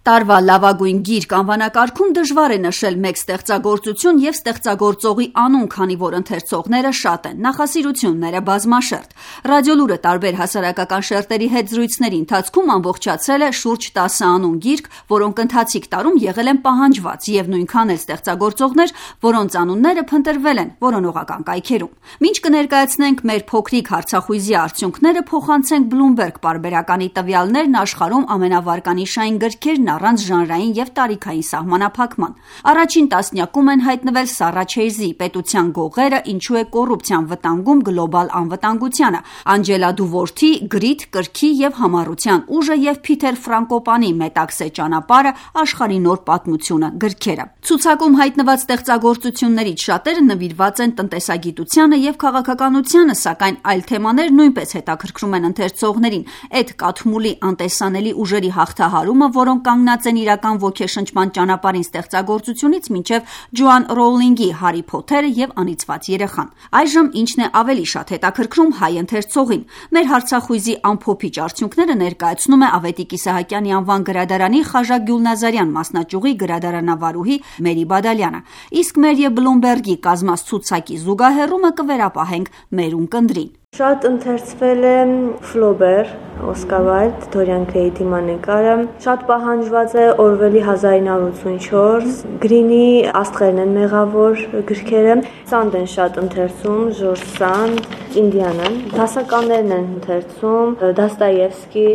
Տարվա լավագույն գիրք անվանակարգում դժվար է նշել մեկ ստեղծագործություն և ստեղծագործողի անուն, քանի որ ընթերցողները շատ են, նախասիրությունները բազմաշերտ։ Ռադիոլուրը տարբեր հասարակական շերտերի հետ զրույցների ընթացքում ամբողջացրել է շուրջ 10 անուն գիրք, որոնք ընթացիկ տարում եղել են պահանջված և նույնքան էլ ստեղծագործողներ, որոնց անունները փնտրվել են որոնողական կայքերում։ Մինչ կներկայացնենք մեր փոքրիկ հարցախույզի արդյունքները, փոխանցենք Bloomberg պարբերականի տվյալներն աշխարհում ամենավարկանիշային գրքերն առանց ժանրային և տարիքային սահմանափակման։ Առաջին տասնյակում են հայտնվել Սառա Չեյզի «Պետության գողերը. ինչու է կոռուպցիան վտանգում գլոբալ անվտանգությանը», Անջելա Դուվորթի «Գրիթ, կրքի և համառության ուժը» և Փիթեր Ֆրանկոպանի «Մետաքսե ճանապարհը. աշխարհի նոր պատմությունը» գրքերը։ Ցուցակում հայտնված ստեղծագործություններից շատերը նվիրված են տնտեսագիտությանը և քաղաքականությանը, սակայն այլ թեմաներ նույնպես հետաքրքրում են ընթերցողներին։ Էդ Կաթմուլի անտեսանելի ուժերի հաղթահարումը, որոնք կանգնած են իրական ոգեշնչման ճանապարհին ստեղծագործությունից մինչև Ջոան Ռոուլինգի «Հարի Փոթերը և անիծված երեխան»։ Այժմ ինչն է ավելի շատ հետաքրքրում հայ ընթերցողին։ Մեր հարցախույզի ամփոփիչ արդյունքները ներկայացնում է Ավետիք Իսահակյանի անվան գրադարանի Խաժակ Գյուլնազարյան մասնաճյուղի գրադարանավարուհի Մերի Բադալյանը։ Իսկ մեր և Bloomberg-ի կազմած ցուցակի զուգահեռումը կվերապահենք մեր ունկնդրին։ Շատ ընթերցվել է Ֆլոբեր, Օսկար Վայլդ, Դորիան Գրեյի դիմանկարը, շատ պահանջված է Օրվելի 1984, Գրինի Աստղերն են մեղավոր գրքերը, Սանդ են շատ ընթերցում, Ժորժ Սանդ, Ինդիանան, դասականներն են ընթերցում, Դոստոևսկի,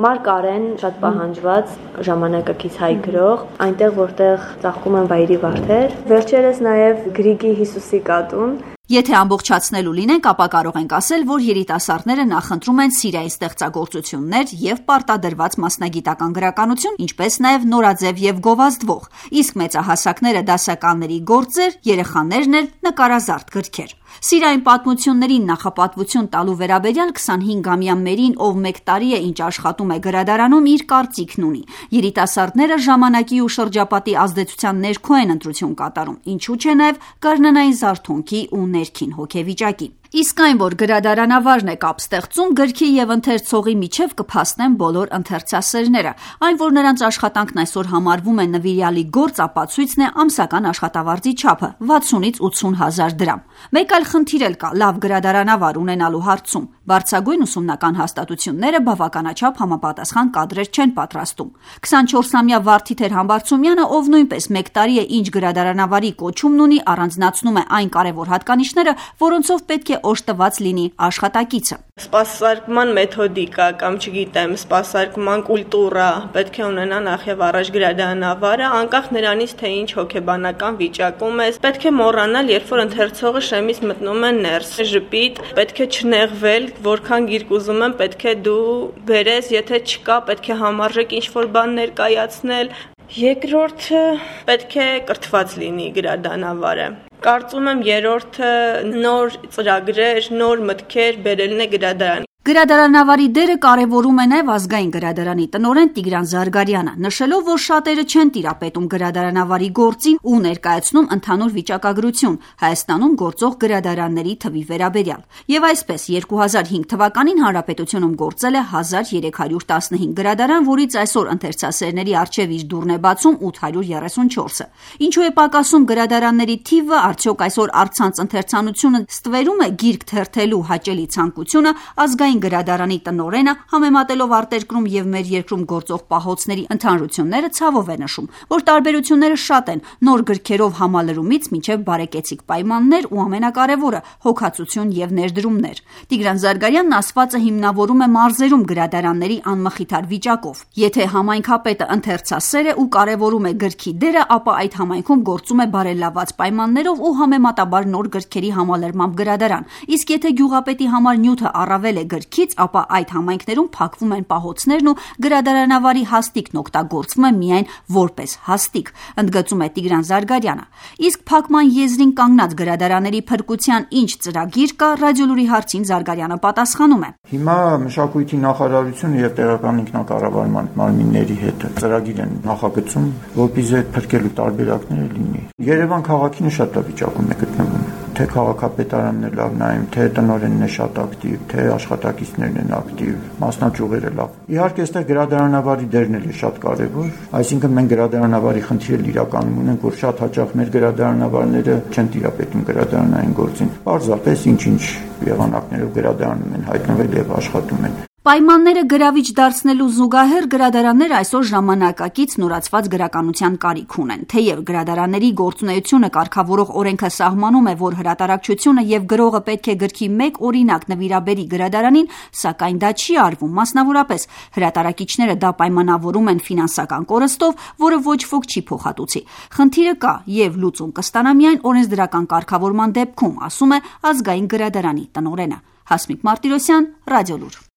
Մարկ Արեն շատ պահանջված, ժամանակակից հայ գրող, այնտեղ որտեղ ծաղկում են վայրի վարդեր, վերջերս նաև Գրիգի Հիսուսի կատուն։ Եթե ամբողջացնելու լինենք, ապա կարող ենք ասել, որ երիտասարդները նախընտրում են սիրային ստեղծագործություններ և պարտադրված մասնագիտական գրականություն, ինչպես նաև նորաձև և գովազդվող, իսկ մեծահասակները դասականների գործեր, երեխաներն էլ նկարազարդ գրքեր։ Սիրային պատմություններին նախապատվություն տալու վերաբերյալ 25-ամյա Մերին, ով մեկ տարի է ինչ աշխատում է գրադարանում, իր կարծիքն ունի։ Երիտասարդները ժամանակի ու շրջապատի ազդեցության ներքո են ընտրություն կատարում, ինչու՞ չէ նաև գարնանային զարթոնքի ու ներքին հոգեվիճակի։ Իսկ այն, որ գրադարանավարն է կապ ստեղծում, գրքի և ընթերցողի միջև կփաստեն բոլոր ընթերցասերները։ Այն, որ նրանց աշխատանքն այսօր համարվում է նվիրյալի գործ, ապացույցն է ամսական աշխատավարձի չափը՝ 60-ից 80 հազար դրամ։ Մեկ այլ խնդիր էլ կա լավ գրադարանավար ունենալու հարցում։ Բարձրագույն ուսումնական հաստատությունները բավականաչափ համապատասխան կադրեր չեն պատրաստում։ 24-ամյա Վարդիթեր Համբարձումյանը, ով նույնպես մեկ տարի է ինչ գրադարանավարի կոչումն ունի, առանձնացնում է այն կարևոր հատկանիշները, որոնցով պետք է օժտված լինի աշխատակիցը։ Սպասարկման մեթոդիկա կամ չգիտեմ, սպասարկման կուլտուրա պետք է ունենա նախ եւ առաջ գրադարանավարը, անկախ նրանից, թե ինչ հոգեբանական վիճակում ես, պետք է մոռանալ, երբ որ ընթերցողը շեմից մտնում է ներս, ժպիտ, պետք է չնեղվել, որքան գիրք ուզում եմ, պետք է դու բերես, եթե չկա, պետք է համարժեք ինչ-որ բան ներկայացնել։ Երկրորդը պետք է կրթված լինի գրադարանավարը։ Կարծում եմ երրորդը նոր ծրագրեր, նոր մտքեր բերելն է գրադարան։ Գրադարանավարի դերը կարևորում է նաև ազգային գրադարանի տնօրեն Տիգրան Զարգարյանը, նշելով, որ շատերը չեն տիրապետում գրադարանավարի գործին ու ներկայացնում ընդհանուր վիճակագրություն Հայաստանում գործող գրադարանների թվի վերաբերյալ։ Եվ այսպես 2005 թվականին Հանրապետությունում գործել է 1315 գրադարան, որից այսօր ընթերցասերների առջև իր դուռն է բացում 834-ը։ Ինչու է պակասում գրադարանների թիվը, արդյոք այսօր առցանց ընթերցանությունը ստվերում է գիրք թերթելու հաճելի ցանկությունը, ազգային գրադարանի տնօրենը, համեմատելով արտերկրում և մեր երկրում գործող պահոցների ընդհանրությունները, ցավով է նշում, որ տարբերությունները շատ են նոր գրքերով համալրումից մինչև բարեկեցիկ պայմաններ ու ամենակարևորը հոգացություն և ներդրումներ։ Տիգրան Զարգարյանն ասվածը հիմնավորում է մարզերում գրադարանների անմխիթար վիճակով։ Եթե համայնքապետը ընթերցասեր է ու կարևորում է գրքի դերը, ապա այդ համայնքում գործում է բարելաված պայմաններով ու համեմատաբար նոր գրքերի համալրմամբ գրադարան։ Իսկ եթե գյուղապետի համար նյութը առավել է գրքից, ապա այդ համայնքներում փակվում են պահոցներն ու գրադարանավարի հաստիքն օգտագործվում է միայն որպես հաստիք, ընդգծում է Տիգրան Զարգարյանը։ Իսկ փակման եզրին կանգնած գրադարանների փրկության ինչ ծրագիր կա, Ռադիոլուրի հարցին Զարգարյանը պատասխանում է։ Հիմա մշակույթի նախարարությունը եւ տեղական ինքնակառավարման մարմինների հետ ծրագիր են նախագծում, որպեսզի այդ փրկելու տարբերակները լինի։ Երևան քաղաքին շատ վիճակում է գտնվում։ թե քաղաքապետարանն է լավ նայում, թե տնօրենն է շատ ակտիվ, թե աշխատակիցներն են ակտիվ, մասնաճյուղերը լավ։ Իհարկե, այստեղ գրադարանավարի դերն է շատ կարևոր, այսինքն մենք գրադարանավարի խնդիրը իրականում ունենք, որ շատ հաճախ մեր գրադարանավարները չեն տիրապետում գրադարանային գործին։ Պարզապես ինչ-ինչ եղանակներով գրադարանում են հայտնվել եւ աշխատում են։ Պայմանները գրավիչ դարձնելու զուգահեռ գրադարանները այսօր ժամանակակից նորացված գրականության կարիք ունեն։ Թեև գրադարանների գործունեությունը կարգավորող օրենքը սահմանում է, որ հրատարակչությունը եւ գրողը պետք է գրքի մեկ օրինակ նվիրաբերի գրադարանին, սակայն դա չի արվում։ Մասնավորապես հրատարակիչները դա պայմանավորում են ֆինանսական կորստով, որը ոչ ոք չի փոխհատուցի։ Խնդիրը կա եւ լուծում կստանա միայն օրենսդրական կարգավորման դեպքում, ասում է Ազգային գրադարանի տնօրենը։ Հասմիկ Մարտիրոսյան, Ռադիոլուր։